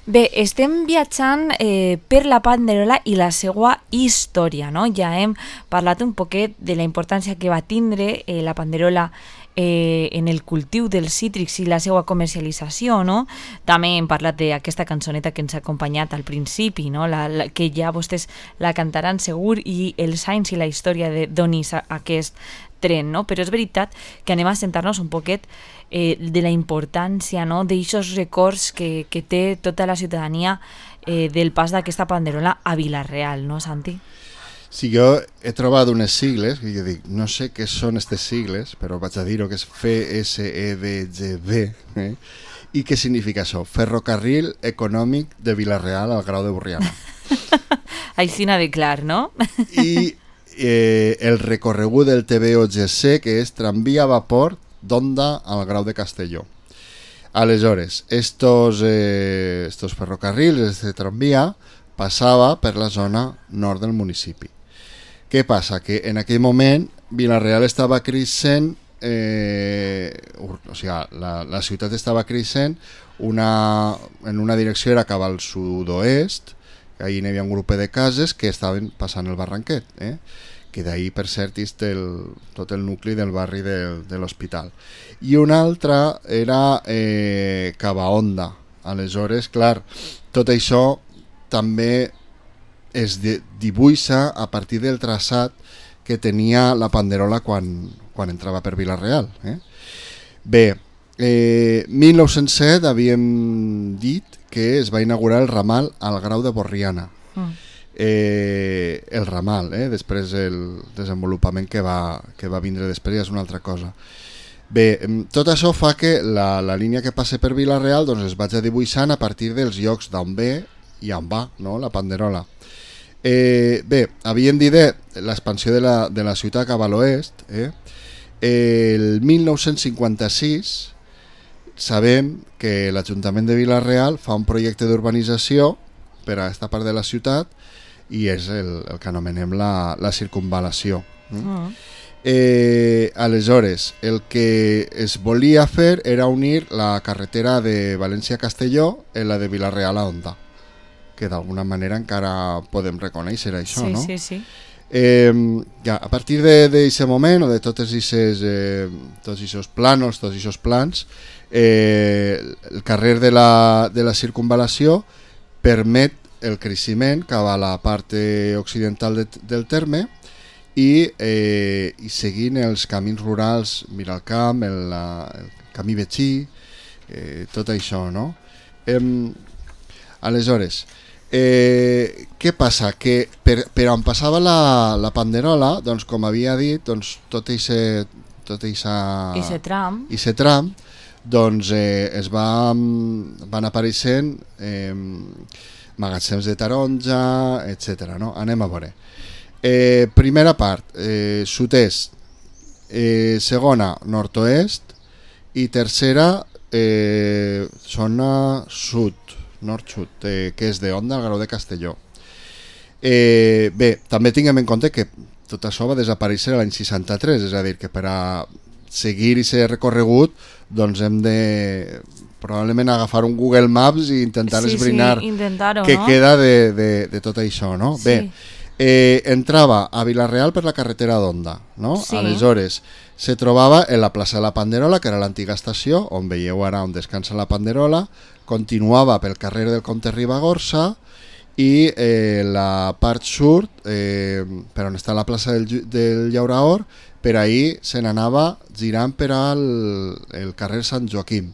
Bé, estem viatjant per la panderola i la seva història, no? Ja hem parlat un poquet de la importància que va tindre la panderola en el cultiu dels cítrics i la seva comercialització, no? També hem parlat d'aquesta cançoneta que ens ha acompanyat al principi, no? Que ja vostès la cantaran segur, i els anys i la història d'on és aquest tren, no? Però és veritat que anem a sentar-nos un poquet de la importància, no? D'eixos records que té tota la ciutadania del pas d'aquesta panderola a Vila-real, no, Santi? Sí, jo he trobat unes sigles, i jo dic, no sé què són aquestes sigles, però vaig a dir-ho que és FSEDGB, i què significa això? Ferrocarril Econòmic de Vila-real al Grau de Borriana. Aixina de clar, no? I el recorregut del TVOGC, que és tramvia a vapor d'Onda al Grau de Castelló. Aleshores, estos ferrocarrils, este tramvia, passava per la zona nord del municipi. Què passa? Que en aquell moment Vila-real estava creixent, o sigui, la ciutat estava creixent en una direcció era cap al sud-oest, ahí hi havia un grup de cases que estaven passant el Barranquet, que d'ahir, per cert, és tot el nucli del barri de l'Hospital. I una altra era cap a Onda. Aleshores, clar, tot això també es dibuixa a partir del traçat que tenia la panderola quan entrava per Vila-real. Bé, 1907 havíem dit que es va inaugurar el ramal al Grau de Borriana. El ramal, després el desenvolupament que va vindre després ja és una altra cosa. Bé, tot això fa que la línia que passa per Vila-real doncs es vagi dibuixant a partir dels llocs d'on ve i on va, no? La panderola. Bé, havíem dit l'expansió de la ciutat cap a l'oest. El 1956 sabem que l'Ajuntament de Vila-real fa un projecte d'urbanització per a aquesta part de la ciutat i és el que anomenem la circunvalació. Aleshores, el que es volia fer era unir la carretera de València-Castelló en la de Vila-real a Onda, que d'alguna manera encara podem reconèixer això, no? Sí. Ja, a partir d'aquest moment o de tots aquests plans, el carrer de la circunvalació permet el creixement cap a la part occidental del terme i seguint els camins rurals, Miralcamp, el camí Betxí, tot això, no? Aleshores, què passa? Que per on passava la panderola, doncs, com havia dit, doncs, tot aquest tram, doncs, es van apareixent magatzems de taronja, etc. No? Anem a veure. Primera part, sud-est, segona, nord-oest, i tercera, zona sud, nord-sud, que és d'Onda al Grau de Castelló. Bé, també tinguem en compte que tot això va desaparèixer l'any 63, és a dir, que per a seguir i ser recorregut doncs hem de probablement agafar un Google Maps i intentar esbrinar què queda de tot això, no? Sí. Bé, entrava a Vila-real per la carretera d'Onda, no? Sí. Aleshores, se trobava en la plaça de la Panderola, que era l'antiga estació, on veieu ara on descansa la Panderola, continuava pel carrer del Comte Ribagorça i la part sud, per on està la plaça del Llauraor, per ahir se n'anava girant per al carrer Sant Joaquim.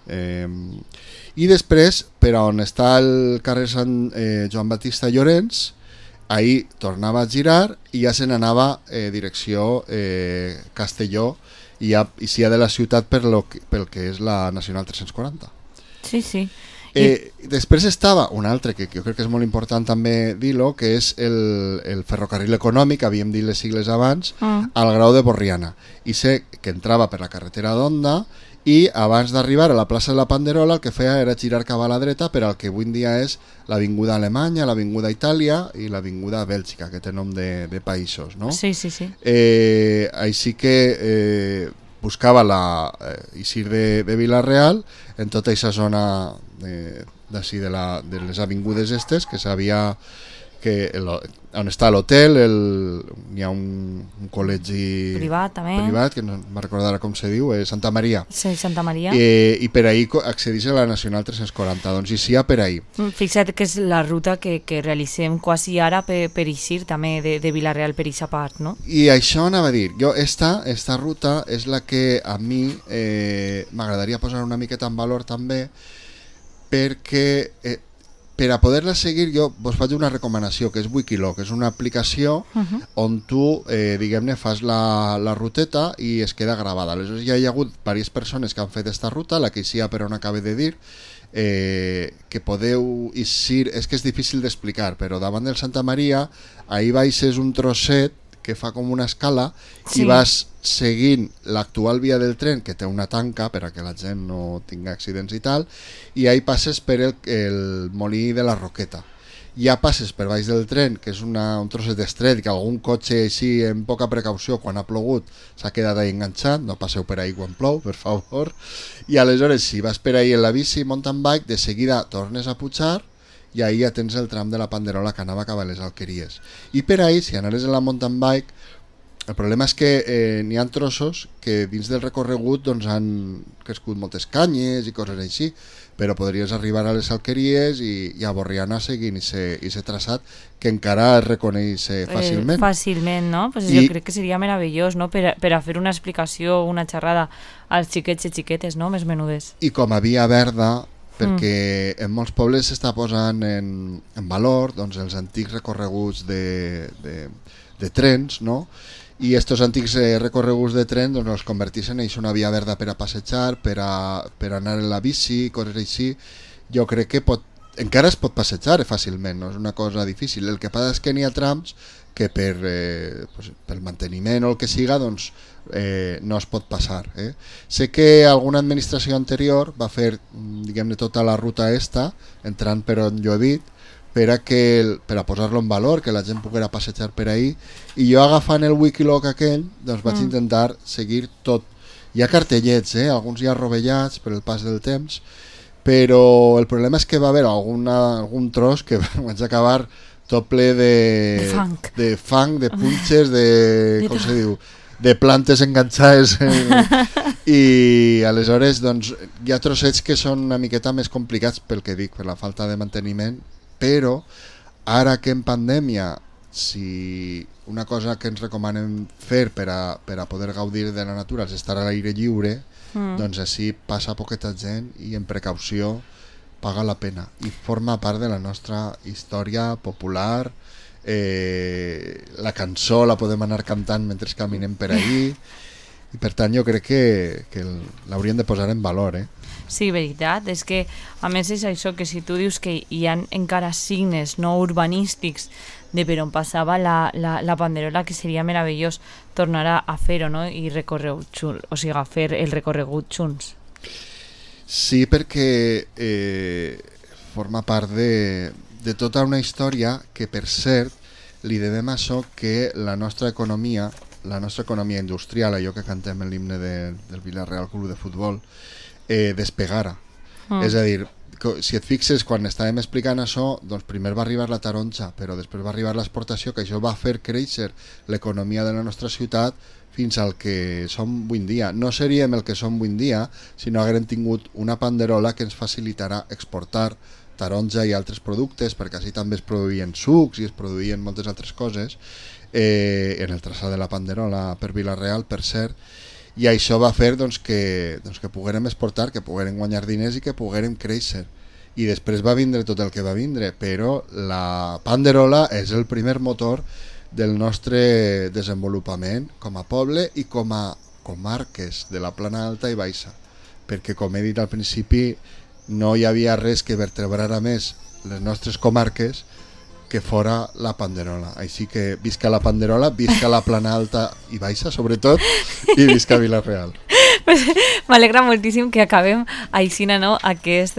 I després, per on està el carrer Sant Joan Batista Llorenç, ahir tornava a girar i ja se n'anava direcció Castelló i ja de la ciutat pel que és la Nacional 340. Sí. Després estava un altre que jo crec que és molt important també dir-lo, que és el ferrocarril econòmic, havíem dit les sigles abans, al Grau de Borriana, i sé que entrava per la carretera d'Onda i abans d'arribar a la plaça de la Panderola el que feia era girar cap a la dreta per al que avui en dia és l'avinguda Alemanya, l'avinguda Itàlia i l'avinguda Bèlgica, que té nom de països, no? Sí. Així que buscava eixir de Vila-real en tota aquesta zona d'ací de les avingudes estes, que sabia que on està l'hotel, hi ha un col·legi privat, que no me'n recordarà com se diu, Santa Maria. Sí, Santa Maria. I per ahí accedeix a la Nacional 340, doncs hi ha per ahí. Fixa't que és la ruta que realitzem quasi ara per eixir també de Vila-real per aquesta part, no? I això anava a dir, jo esta ruta és la que a mi m'agradaria posar una miqueta en valor també, perquè per a poder-la seguir jo vos faig una recomanació, que és Wikiloc, és una aplicació on tu, diguem-ne, fas la ruteta i es queda gravada. Aleshores ja hi ha hagut diverses persones que han fet aquesta ruta, la que sia per on acabo de dir, que podeu eixir, és que és difícil d'explicar, però davant del Santa Maria, ahir baixes un trosset que fa com una escala i vas seguint l'actual via del tren, que té una tanca per a que la gent no tingui accidents i tal, i ahí passes per el molí de la Roqueta. Ja passes per baix del tren, que és un trosset estret, que algun cotxe així amb poca precaució quan ha plogut s'ha quedat ahí enganxat, no passeu per ahí quan plou, per favor, i aleshores si vas per ahí en la bici mountain bike, de seguida tornes a pujar i ahí ja tens el tram de la Panderola que anava cap a les Alqueries. I per ahí, si anaves en la mountain bike, el problema és que n'hi ha trossos que dins del recorregut doncs, han crescut moltes canyes i coses així, però podries arribar a les Alqueries i a Borriana seguint aquest traçat que encara es reconeix fàcilment. Fàcilment, no? Pues jo crec que seria meravellós, no? Per a fer una explicació, una xerrada als xiquets i xiquetes, no? Més menudes. I com a via verda, perquè en molts pobles s'està posant en valor doncs, els antics recorreguts de trens, no? I estos antics recorreguts de tren doncs, els converteixen en una via verda per a passejar, per anar en la bici, coses així. Jo crec que encara es pot passejar fàcilment, no és una cosa difícil. El que passa és que n'hi ha trams que pel manteniment o el que siga doncs, no es pot passar. Sé que alguna administració anterior va fer, diguem-ne, tota la ruta entrant per on jo he dit, per a posar-lo en valor, que la gent poguera passejar per ahí, i jo agafant el Wikiloc aquell doncs vaig intentar seguir tot. Hi ha cartellets, alguns ja rovellats per el pas del temps, però el problema és que va haver algun tros que vaig acabar tot ple de fang, de punxes, com se diu, de plantes enganxades i aleshores doncs, hi ha trossets que són una miqueta més complicats pel que dic, per la falta de manteniment, però ara que en pandèmia, si una cosa que ens recomanen fer per a poder gaudir de la natura és estar a l'aire lliure, doncs així passa poqueta gent i en precaució paga la pena i forma part de la nostra història popular. La cançó la podem anar cantant mentre caminem per ahí i per tant jo crec que l'hauríem de posar en valor. Sí, veritat, és que a més és això, que si tu dius que hi ha encara signes no urbanístics de per on passava la Panderola, que seria meravellós tornar a fer-ho, no? I fer el recorregut junts. Sí, perquè forma part de tota una història que, per cert, li devem a això que la nostra economia industrial, allò que cantem en l'himne del Vila-real Club de Futbol, despegara. És a dir, si et fixes, quan estàvem explicant això, doncs primer va arribar la taronja, però després va arribar l'exportació, que això va fer créixer l'economia de la nostra ciutat fins al que som avui en dia. No seríem el que som avui en dia si no haguérem tingut una Panderola que ens facilitarà exportar taronja i altres productes, perquè així també es produïen sucs i es produïen moltes altres coses en el traçat de la Panderola per Vila-real, per cert, i això va fer doncs, que poguérem exportar, que poguérem guanyar diners i que poguérem créixer. I després va vindre tot el que va vindre, però la Panderola és el primer motor del nostre desenvolupament com a poble i com a comarques de la Plana Alta i Baixa, perquè com he dit al principi no hi havia res que vertebrara més les nostres comarques que fora la Panderola. Així que visca la Panderola, visca la Plana Alta i Baixa sobretot, i visca Vila-real. M'alegra moltíssim que acabem així, no?, aquest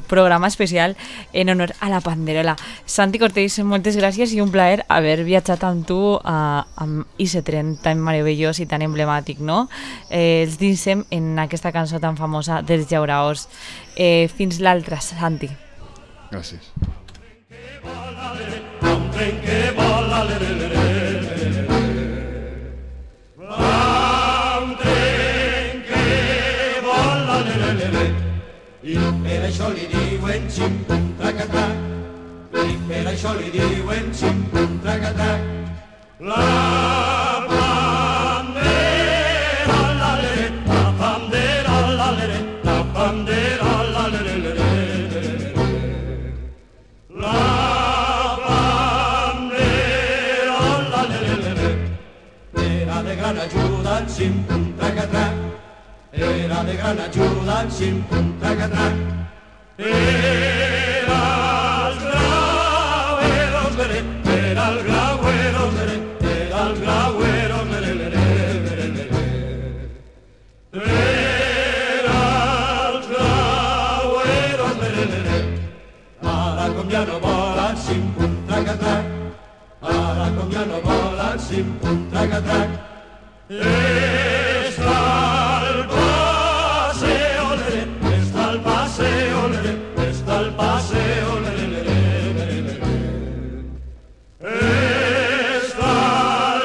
programa especial en honor a la Panderola. Santi Cortés, moltes gràcies i un plaer haver viatjat amb tu amb aquest tren tan meravellós i tan emblemàtic, no? Els dinsem en aquesta cançó tan famosa dels Llauraors. Fins l'altra, Santi. Gràcies. Un tren que vola, i per això li diuen xim-pum traca-trac, i per això li diuen xim-pum traca-trac. La bandera, la-lere, la bandera, la-lere, la bandera, la-lere, la bandera, la-lere, era de gran ajuda, xim-pum traca-trac. Era de gran ajuda, xim-pum traca-trac. Era el grauero, era el grauero, era el grauero, era el grauero. Ara com ja no volen, xim-pum traca-trac. Ara com ja no volen, xim-pum traca-trac. Está el paseo, está el paseo, está el paseo, está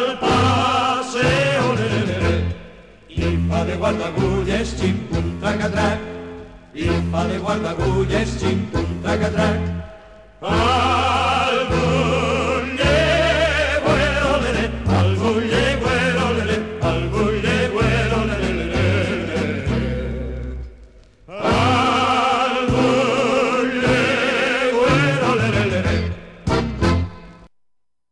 el paseo, i fa de guardagulles, xim-pum traca-trac, i fa de guardagulles, xim-pum traca-trac.